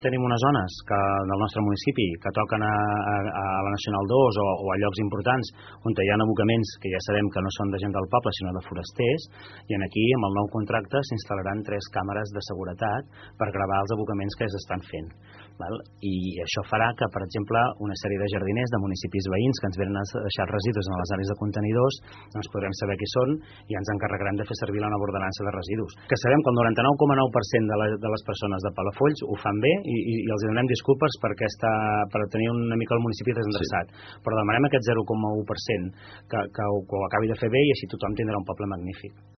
Tenim unes zones del nostre municipi que toquen a la Nacional 2 o a llocs importants on hi ha abocaments que ja sabem que no són de gent del poble sinó de forasters, i aquí amb el nou contracte s'instal·laran 3 càmeres de seguretat per gravar els abocaments que s'estan fent. I això farà que, per exemple, una sèrie de jardiners de municipis veïns que ens venen a deixar residus en les àrees de contenidors, doncs podrem saber qui són i ens encarregarem de fer servir la nova ordenança de residus. Que sabem que el 99,9% de les persones de Palafolls ho fan bé i els donem disculpes per tenir una mica el municipi desendreçat, però demanem aquest 0,1% que ho acabi de fer bé i així tothom tindrà un poble magnífic.